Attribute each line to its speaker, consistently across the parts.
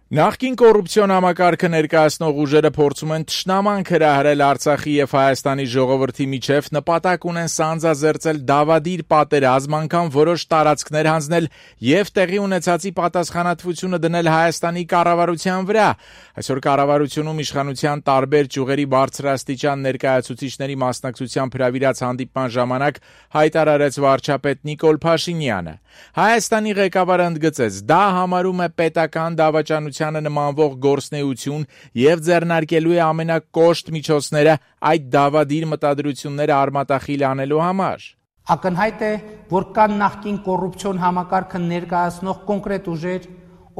Speaker 1: Նախկին կոռուպցիոն համակարգը ներկայացնող ուժերը փորձում են թշնամանք հրահրել Արցախի եւ Հայաստանի ժողովրդի միջև, նպատակ ունեն սանձազերծել դավադիր պատերազմ, անգամ որոշ տարածքներ հանձնել եւ տեղի ունեցածի պատասխանատվությունը դնել Հայաստանի կառավարության վրա։ Այսօր կառավարությունում իշխանության տարբեր ճյուղերի բարձրաստիճան ներկայացուցիչների մասնակցությամբ հրավիրած հանդիպման ժամանակ հայտարարեց վարչապետ Նիկոլ Փաշինյանը։ Հայաստանի ղեկավարը ընդգծեց, դա համարում է պետական դավաճանությանը նմանվող գործնեություն եւ ձեռնարկելու է ամենակոշտ միջոցները այդ դավադիր մտադրությունները արմատախիլ անելու համար։
Speaker 2: Ակնհայտ է, որ կան նախկին կոռուպցիոն համակարգը ներկայացնող կոնկրետ ուժեր,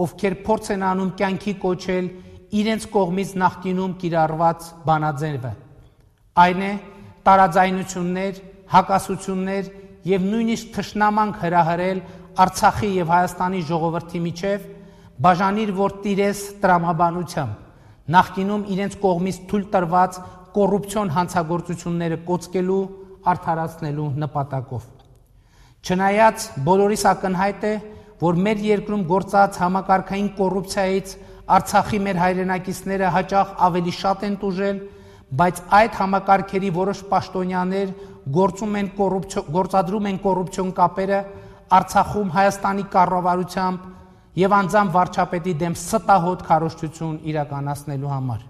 Speaker 2: ովքեր փորձ են անում կյանքի կոչել իրենց կողմից նախկինում կիրառված բանաձևը։ Այն է տարաձայնություններ, հակասություններ եւ նույնիսկ թշնամանք հրահրել Արցախի եւ Հայաստանի ժողովրդի միջև, բաժանիր որ տիրես տրամաբանությամբ նախկինում իրենց կողմից թույլ տրված կոռուպցիոն հանցագործությունները կոծկելու, արդարացնելու նպատակով։ Չնայած բոլորիս ակնհայտ է, որ մեր երկրում գործած համակարգային կոռուպցիայից Արցախի մեր հայրենակիցները հաճախ ավելի շատ են տուժել, բայց այդ համակարգերի որոշ պաշտոնյաներ գործադրում են կոռուպցիոն կապերը Արցախում Հայաստանի կառավարությամբ եւ անձամբ վարչապետի դեմ ստահոդ քարոզչություն իրականացնելու համար։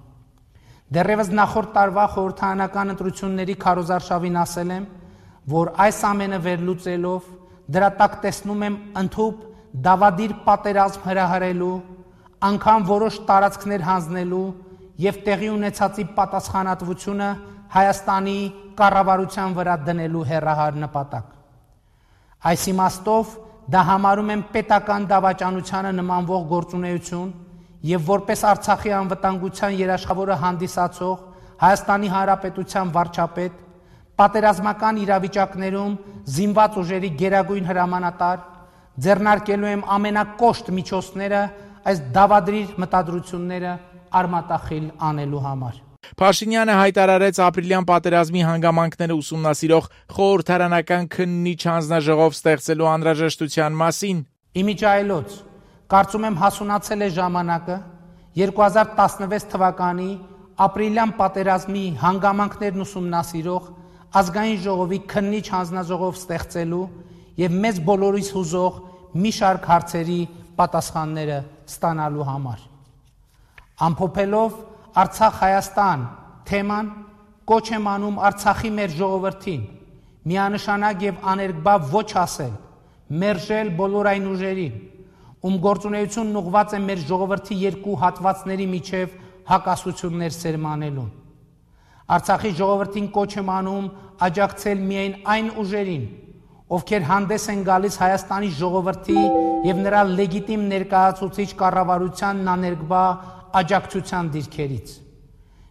Speaker 2: Դեռևս նախորդ տարվա խորհրդարանական ընտրությունների քարոզարշավին ասել եմ, որ այս ամենը վերլուծելով դրա տակ տեսնում եմ ընդհուպ դավադիր պատերազմ հրահրելու, անգամ որոշ տարածքներ հանձնելու եւ տեղի ունեցածի պատասխանատվությունը Հայաստանի կառավարության վրա դնելու հեռահար նպատակ։ Այս իմաստով դա համարում եմ պետական դավաճանությանը նմանվող գործունեություն եւ որպես Արցախի անվտանգության երաշխավորը հանդիսացող Հայաստանի Հանրապետության վարչապետ պատերազմական իրավիճակներում զինված ուժերի գերագույն հրամանատար ձեռնարկելու եմ ամենակոշտ միջոցները այս դավադրիր մտադրությունները արմատախիլ անելու համար։
Speaker 1: Փաշինյանը հայտարարեց ապրիլյան պատերազմի հանգամանքները ուսումնասիրող խորհրդարանական քննիչ հանձնաժողով ստեղծելու անհրաժեշտության մասին։
Speaker 2: Իմիջայլոց, կարծում եմ հասունացել է ժամանակը 2016 թվականի ապրիլյան պատերազմի հանգամանքներն ուսումնասիրող ազգային ժողովի քննիչ հանձնաժողով ստեղծելու եւ մեզ բոլորիս հուզող մի շարք հարցերի պատասխանները ստանալու համար։ Ամփոփելով Արցախ-Հայաստան թեման կոչ եմ անում Արցախի մեր ժողովրդին միանշանակ եւ աներկբա ոչ ասել, մերժել բոլոր այն ուժերին, ում գործունեությունն ուղղված է մեր ժողովրդի երկու հատվածների միջև հակասություններ սերմանելուն։ Արցախի ժողովրդին կոչ եմ անում աջակցել միայն այն ուժերին, ովքեր հանդես են գալիս Հայաստանի ժողովրդի եւ նրա լեգիտիմ ներկայացուցիչ կառավարությանն աներկբա աջակցության դիրքերից։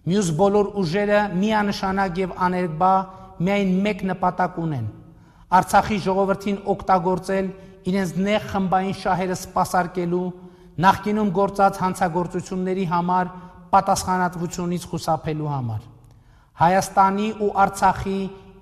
Speaker 2: Մյուս բոլոր ուժերը միանշանակ եւ աներկբա միայն մեկ նպատակ ունեն՝ Արցախի ժողովրդին օգտագործել իրենց նեղ խմբային շահերը սպասարկելու, նախկինում գործած հանցագործությունների համար պատասխանատվությունից խուսափելու համար, Հայաստանի ու Արցախի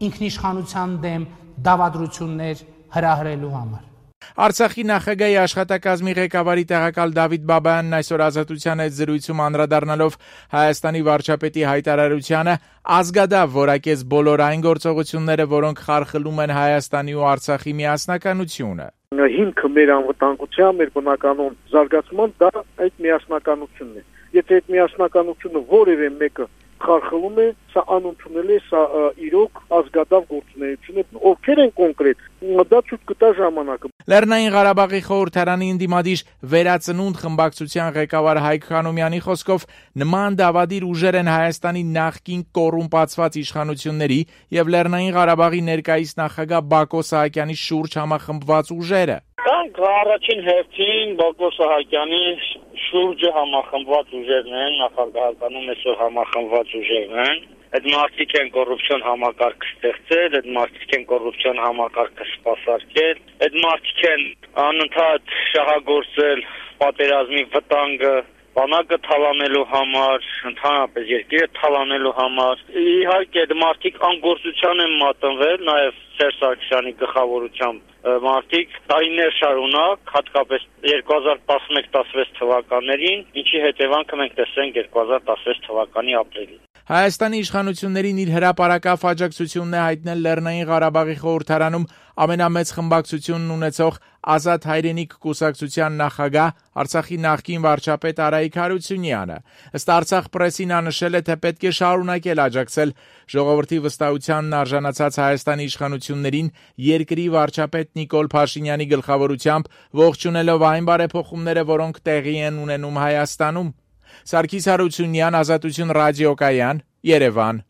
Speaker 2: ինքնիշխանության դեմ դավադրություններ հրահրելու համար։
Speaker 1: Արցախի նախագահի աշխատակազմի ղեկավարի տեղակալ Դավիթ Բաբայանն այսօր Ազատության հետ զրույցում անդրադառնալով Հայաստանի վարչապետի հայտարարությանը ազգադավ որակեց բոլոր այն գործողությունները, որոնք խարխլում են Հայաստանի ու Արցախի միասնականությունը։
Speaker 3: Հիմքը մեր անվտանգության, մեր բնականոն զարգացման դա այդ միասնականությունն է։ Եթե այդ միասնականությունը որևէ մեկը խարխլում է, սա անընդունել է, սա իրոք ազգադավ գործունեություն է, ովքեր են կոնկրետ, դա ցույց կտա ժամանակը։
Speaker 1: Լեռնային Ղարաբաղի խորհրդարանի ընդդիմադիր Վերածնունդ խմբակցության ղեկավար Հայկ Խանոմյանի խոսքով նման դավադիր ուժեր են Հայաստանի նախկին կոռումպացված իշխանությունների եւ Լեռնային Ղարաբաղի ներկայիս նախագահ Բակո Սահակյանի շուրջ համախմբված ուժերը։
Speaker 4: Կանք առաջին հերթին Բակո Սահակյանի շուրջը համախմբված ուժերն են, նախագահականում այսօր համախմբված ուժերն են։ Այդ մարդիկ են կոռուպցիոն համակարգ ստեղծել, այդ մարդիկ են կոռուպցիոն համակարգը սպասարկել, այդ մարդիկ են անընդհատ շահագործել պատերազմի վտանգը, բանակը թալանելու համար, ընդհանրապես երկիրը թալանելու համար։ Իհարկե այդ մարդիկ անգործության են մատնվել, նաև Սերժ Սարգսյանի գլխավորությամբ մարդիկ տարիներ շարունակ, հատկապես 2011-16 թվականներին, ինչի հետևանքը մենք տեսենք 2016 թվականի ապրիլին։
Speaker 1: Հայաստանի իշխանություններին իր հրապարակավ աջակցությունն է հայտնել Լեռնային Ղարաբաղի խորհրդարանում ամենամեծ խմբակցությունն ունեցող Ազատ հայրենիք կուսակցության նախագահ Արցախի նախկին վարչապետ Արայիկ Հարությունյանը։ Ըստ Արցախ պրեսին նա նշել է, թե պետք է շարունակել աջակցել ժողովրդի վստահությանն արժանացած Հայաստանի իշխանություններին երկրի վարչապետ Նիկոլ Փաշինյանի գլխավորությամբ, ողջունելով այն բարեփոխումները, որոնք տեղի են ունենում Հայաստանում։ Սարգիս Հարությունյան, Ազատություն ռադիոկայան, Երևան։